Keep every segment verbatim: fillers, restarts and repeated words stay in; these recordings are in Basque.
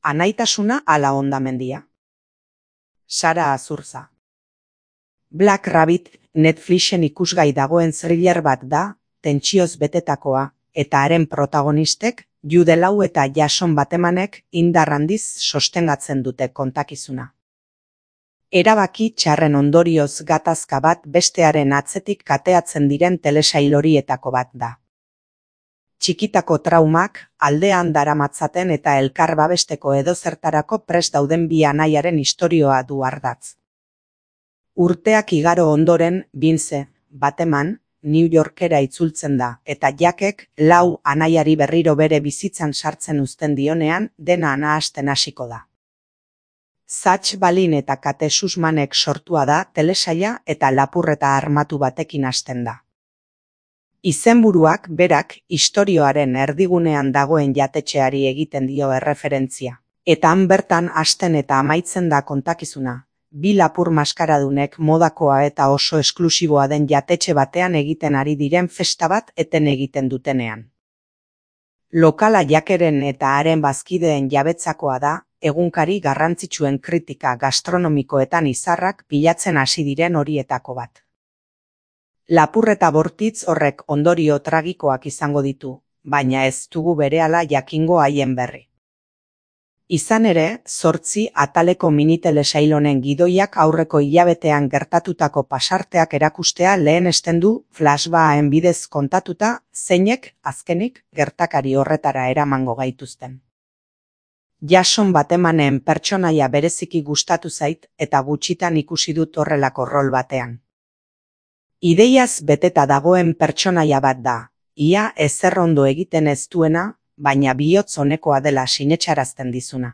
anaitasuna ala hondamendia. Sara Azurza. Black Rabbit Netflixen ikusgai dagoen thriller bat da, tentsioz betetakoa, eta haren protagonistek, Jude Law eta Jason Batemanek indar handiz sostengatzen dute kontakizuna. Erabaki txarren ondorioz gatazka bat bestearen atzetik kateatzen diren telesail horietako bat da. Txikitako traumak aldean daramatzaten eta elkar babesteko edozertarako prest dauden bi anaiaren istorioa du ardatz. Urteak igaro ondoren, Vince Bateman New Yorkera itzultzen da, eta Jackek Law anaiari berriro bere bizitzan sartzen uzten dionean dena nahasten hasiko da. Zach Balin eta Kate Sussmanek sortua da telesaila eta lapurreta armatu batekin hasten da. Izenburuak berak istorioaren erdigunean dagoen jatetxeari egiten dio erreferentzia, eta han bertan hasten eta amaitzen da kontakizuna. Bi lapur maskaradunek modakoa eta oso esklusiboa den jatetxe batean egiten ari diren festa bat eten egiten dutenean. Lokala Jackeren eta haren bazkideen jabetzakoa da, egunkari garrantzitsuen kritika gastronomikoetan izarrak bilatzen hasi diren horietako bat. Lapurreta bortitz horrek ondorio tragikoak izango ditu, baina ez dugu berehala jakingo haien berri. Izan ere, zortzi ataleko minitelesail honen gidoiak aurreko hilabetean gertatutako pasarteak erakustea lehenesten du flashbacken bidez kontatuta, zeinek, azkenik, gertakari horretara eramango gaituzten. Jason Batemanen pertsonaia bereziki gustatu zait eta gutxitan ikusi dut horrelako rol batean. Ideiaz beteta dagoen pertsonaia bat da, ia ezer ondo egiten ez duena, baina bihotz honekoa dela sinetsarazten dizuna.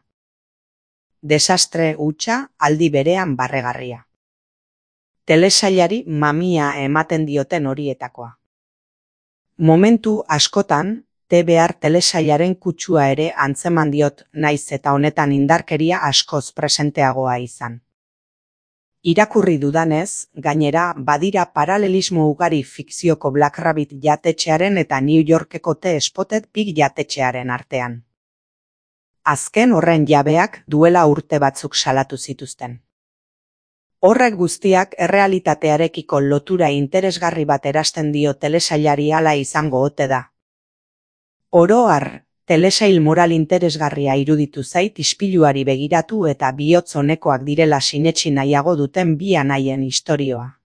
Desastre hutsa aldi berean barregarria. Telesailari mamia ematen dioten horietakoa. Momentu askotan, T B R telesailaren kutsua ere antzeman diot naiz eta honetan indarkeria askoz presenteagoa izan. Irakurri dudanez, gainera badira paralelismo ugari fikzioko Black Rabbit jatetxearen eta New Yorkeko The Spotted Pig jatetxearen artean. Azken horren jabeak duela urte batzuk salatu zituzten. Horrek guztiak errealitatearekiko lotura interesgarri bat erasten dio telesailari hala izango ote da. Oro har, telesail moral interesgarria iruditu zait ispiluari begiratu eta bihotz honekoak direla sinetsi nahiago duten bi anaien istorioa.